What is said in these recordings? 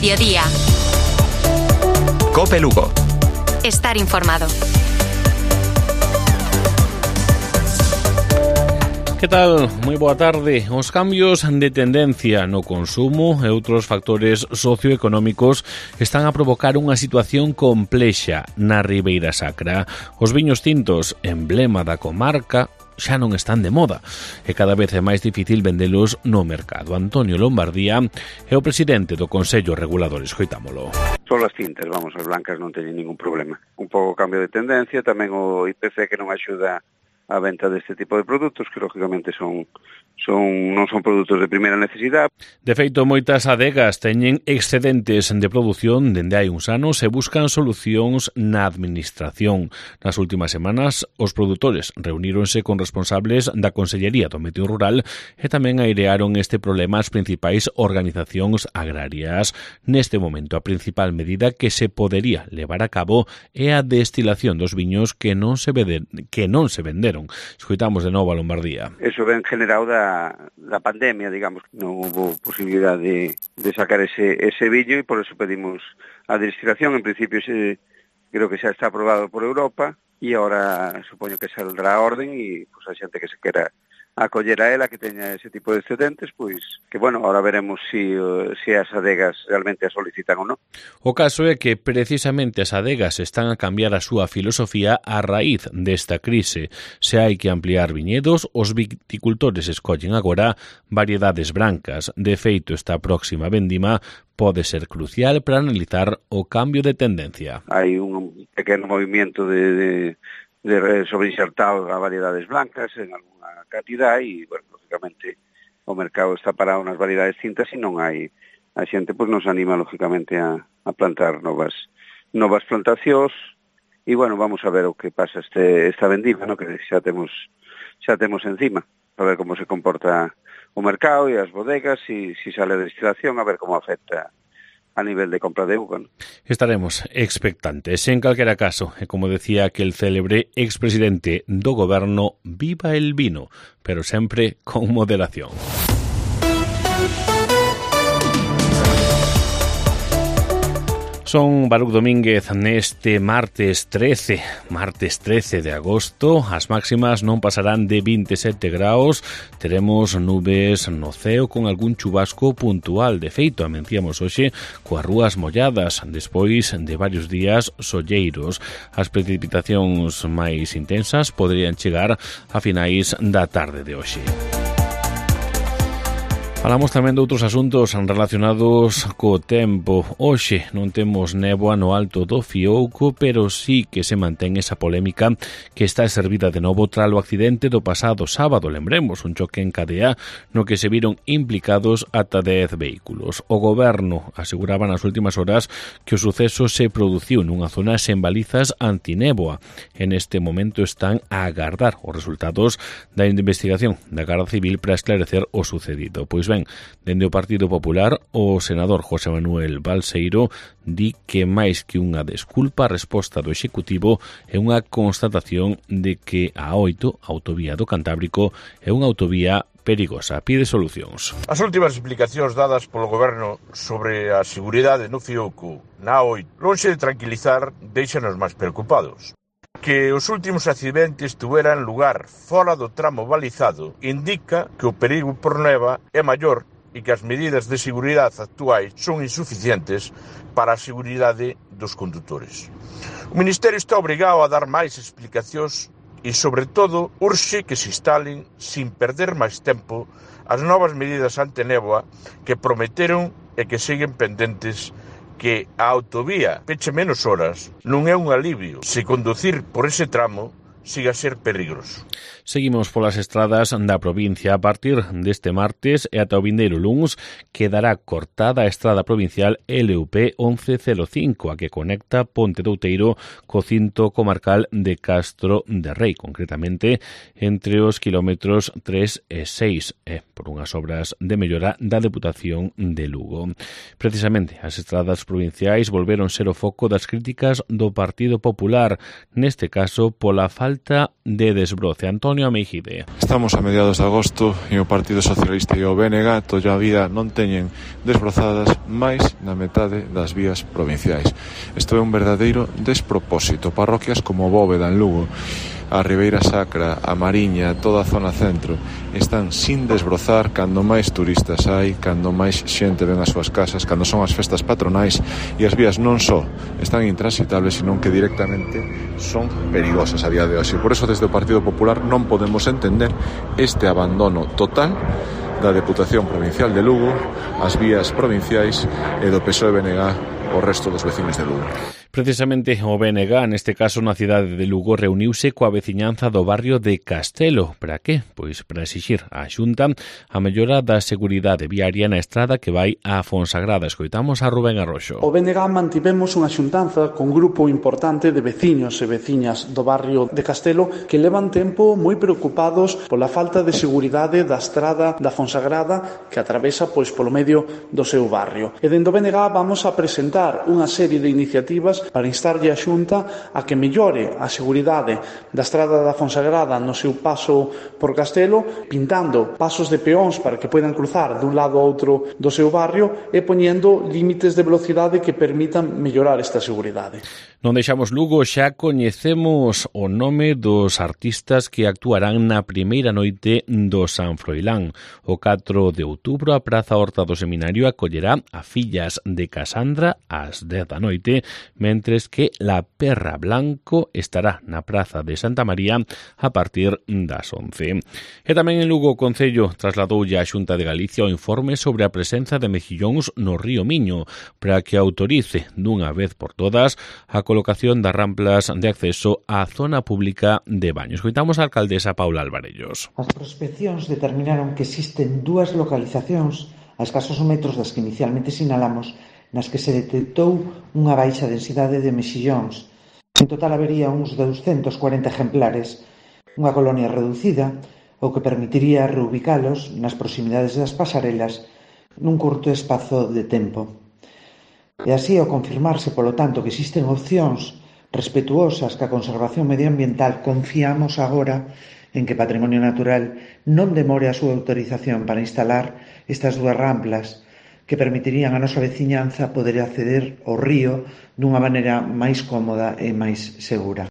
mediodía. COPE Lugo. Estar informado. Que tal? Moi boa tarde. Os cambios de tendencia no consumo e outros factores socioeconómicos están a provocar unha situación complexa na Ribeira Sacra. Os viños tintos, emblema da comarca, xa non están de moda e cada vez é máis difícil vendelos no mercado. Antonio Lombardía é o presidente do Consello Regulador. Escoitámolo. Son as tintas, vamos, as blancas non teñen ningún problema. Un pouco cambio de tendencia, tamén o IPC que non axuda a venta deste tipo de produtos, que lógicamente non son produtos de primeira necesidade. De feito, moitas adegas teñen excedentes de produción dende hai uns anos e buscan solucións na administración. Nas últimas semanas, os produtores reuníronse con responsables da Consellería do Medio Rural e tamén airearon este problema as principais organizacións agrarias. Neste momento, a principal medida que se podería levar a cabo é a destilación dos viños que non se venderon. Escoitamos de novo a Lombardía. Eso ven generado da pandemia, digamos. Non hubo posibilidade de sacar ese viño e por eso pedimos a destilación. En principio creo que xa está aprobado por Europa e agora supoño que saldrá a orden e pues, a xente que se quera acoller a ela, que teña ese tipo de excedentes, pois que, bueno, ahora veremos se as adegas realmente a solicitan ou non. O caso é que precisamente as adegas están a cambiar a súa filosofía a raíz desta crise. Se hai que ampliar viñedos, os viticultores escollen agora variedades brancas. De feito, esta próxima vendima pode ser crucial para analizar o cambio de tendencia. Hai un pequeno movimento de sobreinsertado a variedades blancas en alguna cantidad e, bueno, lógicamente o mercado está parado nas variedades tintas e non hai a xente, pois nos anima lógicamente a plantar novas plantacións e, bueno, vamos a ver o que pasa esta vendima, no, que xa temos encima, a ver como se comporta o mercado e as bodegas e se sale de destilación, a ver como afecta a nivel de compra de uva. Estaremos expectantes. En calquera caso, e como decía aquel célebre expresidente do goberno, viva el vino, pero sempre con moderación. Son Baruch Domínguez neste martes 13 de agosto. As máximas non pasarán de 27 graus. Teremos nubes no ceo con algún chubasco puntual. De feito, amenciamos hoxe coas rúas molladas despois de varios días solleiros. As precipitacións máis intensas poderían chegar a finais da tarde de hoxe. Falamos tamén de outros asuntos relacionados co tempo. Hoxe non temos néboa no alto do Fiouco, pero sí que se mantén esa polémica que está servida de novo tras o accidente do pasado sábado. Lembremos, un choque en cadea no que se viron implicados ata 10 vehículos. O goberno aseguraba nas últimas horas que o suceso se produciu nunha zona sen balizas antinéboa. En este momento están a agardar os resultados da investigación da Garda Civil para esclarecer o sucedido. Pois ben, dende o Partido Popular, o senador José Manuel Balseiro di que máis que unha desculpa, a resposta do Executivo é unha constatación de que a A8, autovía do Cantábrico, é unha autovía perigosa. Pide solucións. As últimas explicacións dadas polo Goberno sobre a seguridade no Fiouco na A8, lonxe de tranquilizar, deixanos máis preocupados. Que os últimos accidentes tuveran lugar fora do tramo balizado indica que o perigo por neva é maior e que as medidas de seguridade actuais son insuficientes para a seguridade dos condutores. O Ministerio está obrigado a dar máis explicacións e, sobre todo, urxe que se instalen, sin perder máis tempo, as novas medidas antenéboa que prometeron e que seguen pendentes, que a autovía peche menos horas non é un alivio se conducir por ese tramo siga a ser peligroso. Seguimos polas estradas da provincia. A partir deste martes e ata o vindeiro luns quedará cortada a estrada provincial LUP 1105, a que conecta Ponte de Outeiro co cinto comarcal de Castro de Rei, concretamente entre os kilómetros 3 e 6, por unhas obras de mellora da Deputación de Lugo. Precisamente, as estradas provinciais volveron ser o foco das críticas do Partido Popular, neste caso pola falta falta de desbroce. Antonio Meijide. Estamos a mediados de agosto e o Partido Socialista e o BNG todavía non teñen desbrozadas máis da metade das vías provinciais. Isto é un verdadeiro despropósito. Parroquias como Bóveda en Lugo, a Ribeira Sacra, a Mariña, toda a zona centro están sin desbrozar cando máis turistas hai, cando máis xente ven as súas casas, cando son as festas patronais, e as vías non só están intransitables, senón que directamente son perigosas a día de hoxe. Por eso desde o Partido Popular non podemos entender este abandono total da Deputación Provincial de Lugo, as vías provinciais e do PSOE-BNG o resto dos vecinos de Lugo. Precisamente o BNG, neste caso na cidade de Lugo, reuniuse coa veciñanza do barrio de Castelo. Para que? Pois para exixir á Xunta a mellora da seguridade viaria na estrada que vai a Fonsagrada. Escoitamos a Rubén Arroxo. O BNG mantivemos unha xuntanza con un grupo importante de veciños e veciñas do barrio de Castelo que levan tempo moi preocupados pola falta de seguridade da estrada da Fonsagrada que atravesa pois polo medio do seu barrio. E dende o BNG vamos a presentar unha serie de iniciativas para instarlle a Xunta a que mellore a seguridade da estrada da Fonsagrada no seu paso por Castelo, pintando pasos de peóns para que poidan cruzar dun lado a outro do seu barrio e poñendo límites de velocidade que permitan mellorar esta seguridade. Non deixamos Lugo, xa coñecemos o nome dos artistas que actuarán na primeira noite do San Froilán. O 4 de outubro a Praza Horta do Seminario acollerá a Fillas de Casandra ás 10 da noite, mentres que La Perra Blanco estará na Praza de Santa María a partir das 11. E tamén en Lugo o Concello trasladoulle á Xunta de Galicia o informe sobre a presenza de mexillóns no río Miño para que autorice dunha vez por todas a colocación das ramplas de acceso á zona pública de baños. Escoitamos a alcaldesa Paula Alvarellos. As prospeccións determinaron que existen dúas localizacións a escasos metros das que inicialmente sinalamos nas que se detectou unha baixa densidade de mexillóns. En total habería uns 240 exemplares, unha colonia reducida, o que permitiría reubicalos nas proximidades das pasarelas nun curto espazo de tempo. E así, ao confirmarse, polo tanto, que existen opcións respetuosas ca conservación medioambiental, confiamos agora en que Patrimonio Natural non demore a súa autorización para instalar estas dúas ramplas que permitirían a nosa veciñanza poder acceder ao río dunha maneira máis cómoda e máis segura.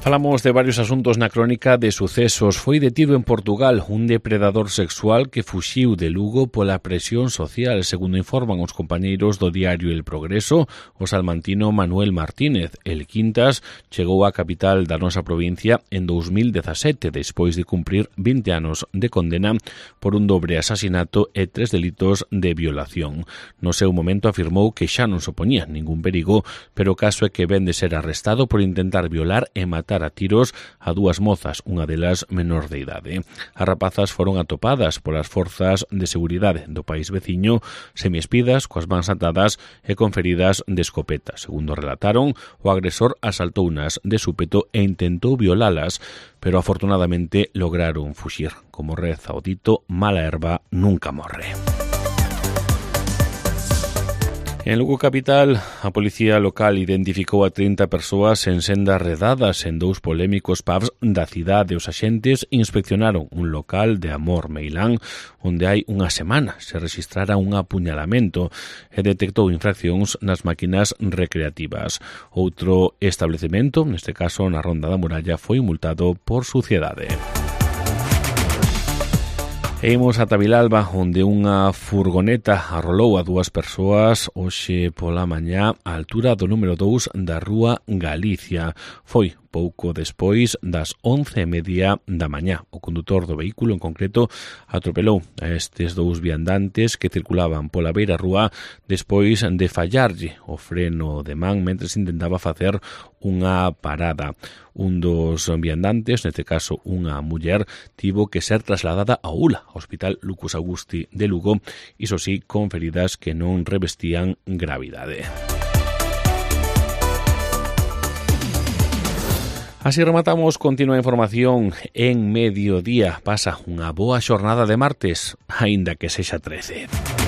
Falamos de varios asuntos na crónica de sucesos. Foi detido en Portugal un depredador sexual que fuxiu de Lugo pola presión social, segundo informan os compañeiros do diario El Progreso. O salmantino Manuel Martínez, el Quintas, chegou á capital da nosa provincia en 2017, despois de cumprir 20 anos de condena por un dobre asasinato e 3 delitos de violación. No seu momento afirmou que xa non supoñía ningún perigo, pero o caso é que ven de ser arrestado por intentar violar e matar a tiros a dúas mozas, unha delas menor de idade. As rapazas foron atopadas polas forzas de seguridade do país veciño, semiespidas, coas mans atadas e con feridas de escopeta. Segundo relataron, o agresor asaltounas de súpeto e intentou violalas, pero afortunadamente lograron fuxir. Como reza o dito, mala herba nunca morre. En Lugo capital, a policía local identificou a 30 persoas en sendas redadas en dous polémicos pubs da cidade. Os axentes inspeccionaron un local de Amor Meilán onde hai unha semana se rexistrara un apuñalamento e detectou infraccións nas máquinas recreativas. Outro establecemento, neste caso na Ronda da Muralla, foi multado por suciedade. E imos ata Vilalba, onde unha furgoneta arrolou a dúas persoas hoxe pola mañá á altura do número 2 da Rúa Galicia. Foi pouco despois das 11:30 da mañá. O condutor do vehículo, en concreto, atropelou a estes dous viandantes que circulaban pola beira rúa despois de fallarlle o freno de man mentres intentaba facer unha parada. Un dos viandantes, neste caso unha muller, tivo que ser trasladada a ULA, ao Hospital Lucas Augusti de Lugo, iso sí, con feridas que non revestían gravidade. Así rematamos, continua a información en Mediodía. Pasa unha boa xornada de martes, aínda que sexa 13.